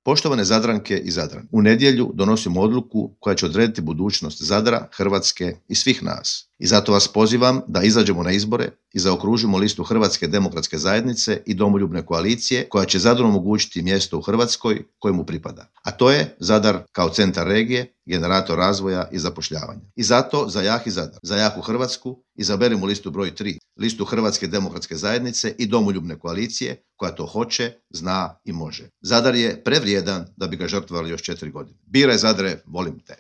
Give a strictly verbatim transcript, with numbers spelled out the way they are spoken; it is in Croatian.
Poštovane Zadranke i Zadrani, u nedjelju donosimo odluku koja će odrediti budućnost Zadra, Hrvatske i svih nas. I zato vas pozivam da izađemo na izbore i zaokružimo listu Hrvatske demokratske zajednice i Domoljubne koalicije koja će Zadru omogućiti mjesto u Hrvatskoj kojemu pripada. A to je Zadar kao centar regije, generator razvoja i zapošljavanja. I zato za jaki Zadar, za jaku Hrvatsku izaberimo listu broj tri, listu Hrvatske demokratske zajednice i Domoljubne koalicije koja to hoće, zna i može. Zadar je prevrijedan da bi ga žrtvovali još četiri godine. Biraj Zadre, volim te.